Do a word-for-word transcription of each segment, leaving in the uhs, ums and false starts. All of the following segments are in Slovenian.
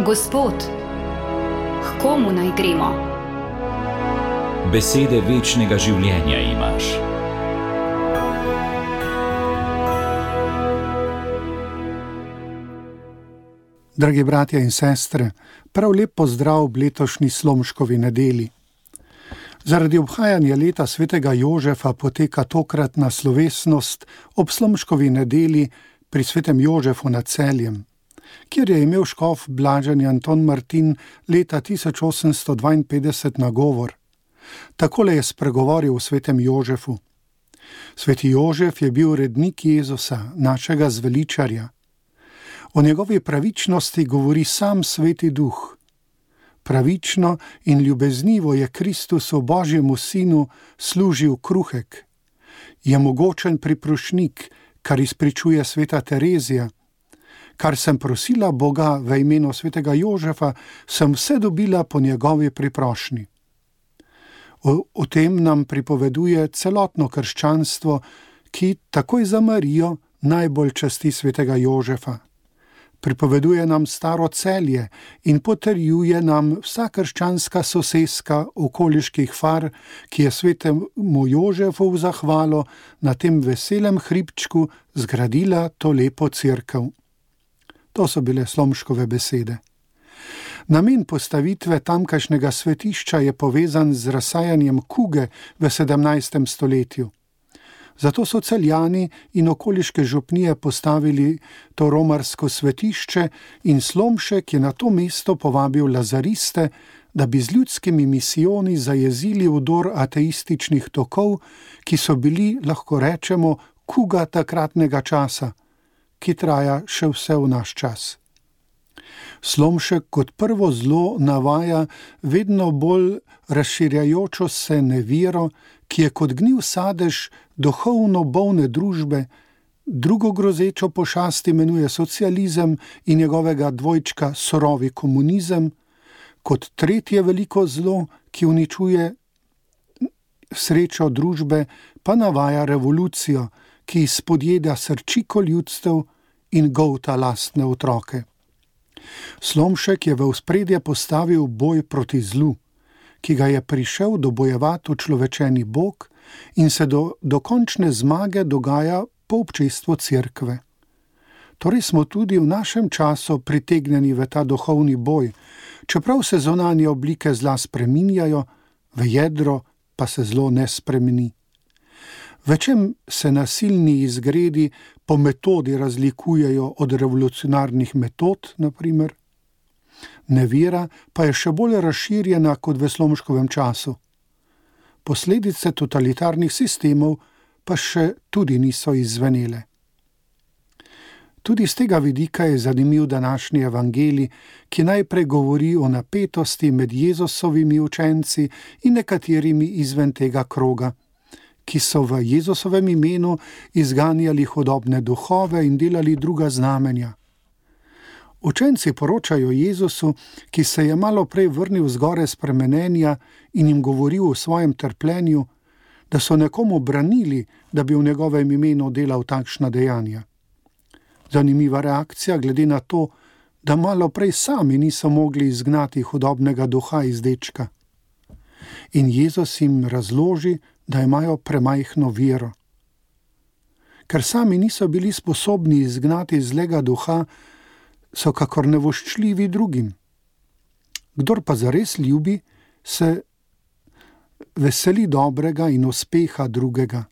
Gospod, k komu naj gremo? Besede večnega življenja imaš. Dragi bratje in sestre, prav lep pozdrav v letošnji Slomškovi nedeli. Zaradi obhajanja leta svetega Jožefa poteka tokratna slovesnost ob Slomškovi nedeli pri svetem Jožefu nad Celjem, kjer je imel škof blaženi Anton Martin leta tisoč osemsto dvainpetdeset nagovor. Takole je spregovoril o svetem Jožefu. Sveti Jožef je bil rednik Jezusa, našega zveličarja. O njegovi pravičnosti govori sam Sveti Duh. Pravično in ljubeznivo je Kristusu, Božjemu sinu, služil kruhek. Je mogočen priprošnik, kar izpričuje sveta Terezija. Kar sem prosila Boga v imenu svetega Jožefa, sem vse dobila po njegovi priprošnji. O, o tem nam pripoveduje celotno krščanstvo, ki takoj za Marijo najbolj časti svetega Jožefa. Pripoveduje nam staro Celje in potrjuje nam vsa krščanska soseska okoliških far, ki je svetemu Jožefu v zahvalo na tem veselem hribčku zgradila to lepo cerkev. To so bile Slomškove besede. Namen postavitve tamkajšnjega svetišča je povezan z razsajanjem kuge v sedemnajstem stoletju. Zato so Celjani in okoliške župnije postavili to romarsko svetišče in Slomšek je na to mesto povabil lazariste, da bi z ljudskimi misijoni zajezili vdor ateističnih tokov, ki so bili, lahko rečemo, kuga takratnega časa, ki traja še vse v naš čas. Slomšek kot prvo zlo navaja vedno bolj razširjajočo se nevero, ki je kot gnil sadež duhovno bolne družbe, drugo grozečo pošast imenuje socializem in njegovega dvojčka surovi komunizem, kot tretje veliko zlo, ki uničuje srečo družbe, pa navaja revolucijo, ki izpodjeda srčiko ljudstev in golta lastne otroke. Slomšek je v ospredje postavil boj proti zlu, ki ga je prišel dobojevati učlovečeni Bog in se do dokončne zmage dogaja po občestvu cerkve. Torej smo tudi v našem času pritegnjeni v ta duhovni boj, čeprav se zunanje oblike zla spreminjajo, v jedro pa se zlo ne spremeni. V čem se nasilni izgredi po metodi razlikujejo od revolucionarnih metod, na primer? Nevera pa je še bolj razširjena kot v Slomškovem času. Posledice totalitarnih sistemov pa še tudi niso izzvenele. Tudi z tega vidika je zanimiv današnji evangelij, ki najprej govori o napetosti med Jezusovimi učenci in nekaterimi izven tega kroga, ki so v Jezusovem imenu izganjali hudobne duhove in delali druga znamenja. Učenci poročajo Jezusu, ki se je malo prej vrnil z gore spremenenja in jim govoril o svojem trpljenju, da so nekomu branili, da bi v njegovem imenu delal takšna dejanja. Zanimiva reakcija glede na to, da malo prej sami niso mogli izgnati hudobnega duha iz dečka. In Jezus jim razloži, da imajo premajhno vero. Ker sami niso bili sposobni izgnati zlega duha, so kakor nevoščljivi drugim. Kdor pa zares ljubi, se veseli dobrega in uspeha drugega.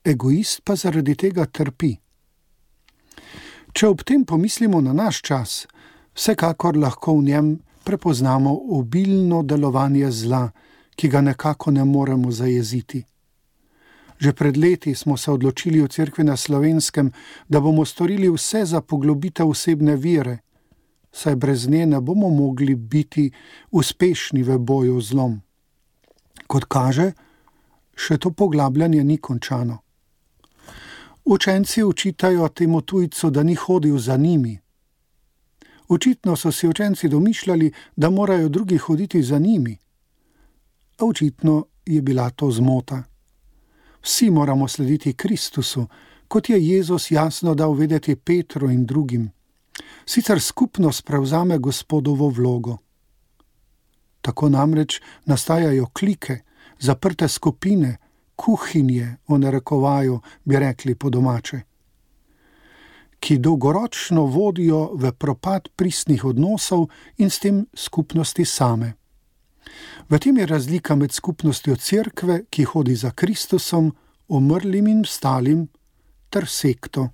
Egoist pa zaradi tega trpi. Če ob tem pomislimo na naš čas, vsekakor lahko v njem prepoznamo obilno delovanje zla, ki ga nekako ne moremo zajeziti. Že pred leti smo se odločili v cerkvi na Slovenskem, da bomo storili vse za poglobitev osebne vere, saj brez nje ne bomo mogli biti uspešni v boju z zlom. Kot kaže, še to poglabljanje ni končano. Učenci učitajo temu tujcu, da ni hodil za njimi. Očitno so si učenci domišljali, da morajo drugi hoditi za njimi. A očitno je bila to zmota. Vsi moramo slediti Kristusu, kot je Jezus jasno dal vedeti Petru in drugim. Sicer skupnost prevzame Gospodovo vlogo. Tako namreč nastajajo klike, zaprte skupine, kuhinje, v narekovaju, bi rekli po domače, ki dolgoročno vodijo v propad pristnih odnosov in s tem skupnosti same. V tem je razlika med skupnostjo cerkve, ki hodi za Kristusom, umrlim in vstalim, ter sekto.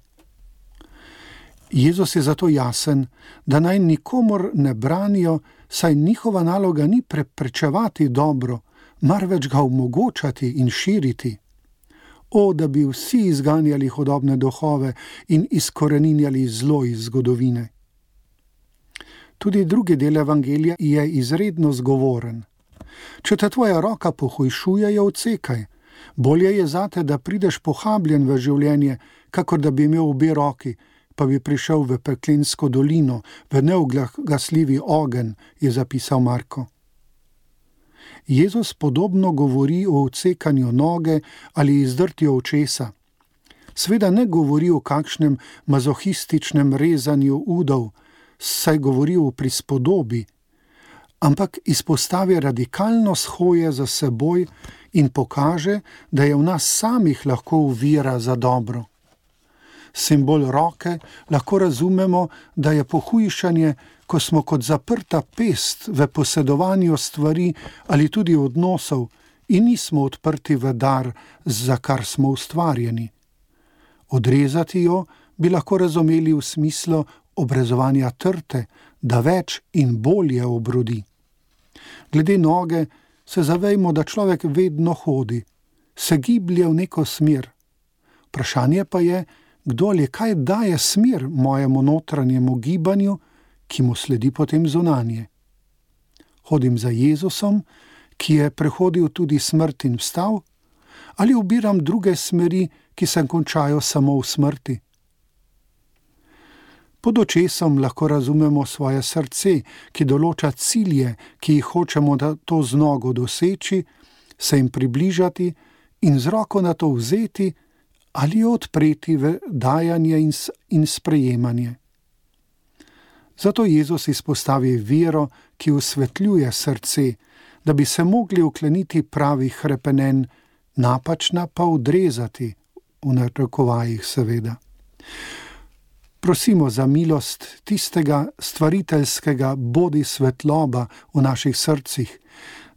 Jezus je zato jasen, da naj nikomur ne branijo, saj njihova naloga ni preprečevati dobro, marveč ga omogočati in širiti. O, da bi vsi izganjali hudobne duhove in izkoreninjali zlo iz zgodovine. Tudi drugi del evangelija je izredno zgovoren. Če te tvoja roka pohujšuje, jo odsekaj. Bolje je zate, da prideš pohabljen v življenje, kakor da bi imel obe roki, pa bi prišel v peklensko dolino, v neugasljivi ogenj, je zapisal Marko. Jezus podobno govori o odsekanju noge ali izdrtju očesa. Sveda ne govori o kakšnem mazohističnem rezanju udov, saj govori o prispodobi, ampak izpostavi radikalno shoje za seboj in pokaže, da je v nas samih lahko ovira za dobro. Simbol roke lahko razumemo, da je pohujšanje, ko smo kot zaprta pest v posedovanju stvari ali tudi odnosov in nismo odprti v dar, za kar smo ustvarjeni. Odrezati jo bi lahko razumeli v smislu obrezovanja trte, da več in bolje obrodi. Glede noge se zavejmo, da človek vedno hodi, se giblje v neko smer. Vprašanje pa je, kdo ali kaj daje smer mojemu notranjemu gibanju, ki mu sledi potem zunanje. Hodim za Jezusom, ki je prehodil tudi smrt in vstal, ali ubiram druge smeri, ki se končajo samo v smrti? Pod očesom lahko razumemo svoje srce, ki določa cilje, ki jih hočemo da to z nogo doseči, se jim približati in z roko na to vzeti ali jo odpreti v dajanje in, in sprejemanje. Zato Jezus izpostavi vero, ki osvetljuje srce, da bi se mogli ukleniti pravih hrepenenj, napačna pa odrezati, v narekovajih seveda. Prosimo za milost tistega stvariteljskega bodi svetloba v naših srcih,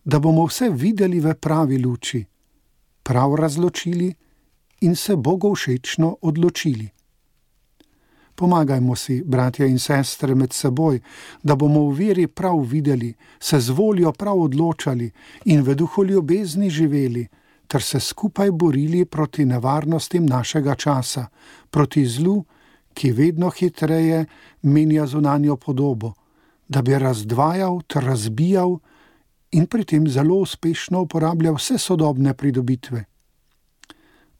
da bomo vse videli v pravi luči, prav razločili in se bogovšečno odločili. Pomagajmo si, bratja in sestre, med seboj, da bomo v veri prav videli, se z voljo prav odločali in v duhu ljubezni živeli, ter se skupaj borili proti nevarnostim našega časa, proti zlu, ki vedno hitreje menja zunanjo podobo, da bi razdvajal ter razbijal in pri tem zelo uspešno uporabljal vse sodobne pridobitve.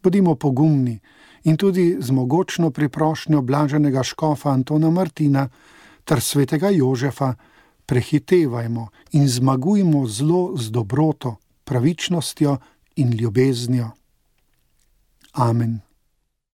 Bodimo pogumni in tudi z mogočno priprošnjo blaženega škofa Antona Martina ter svetega Jožefa prehitevajmo in zmagujmo zlo z dobroto, pravičnostjo in ljubeznijo. Amen.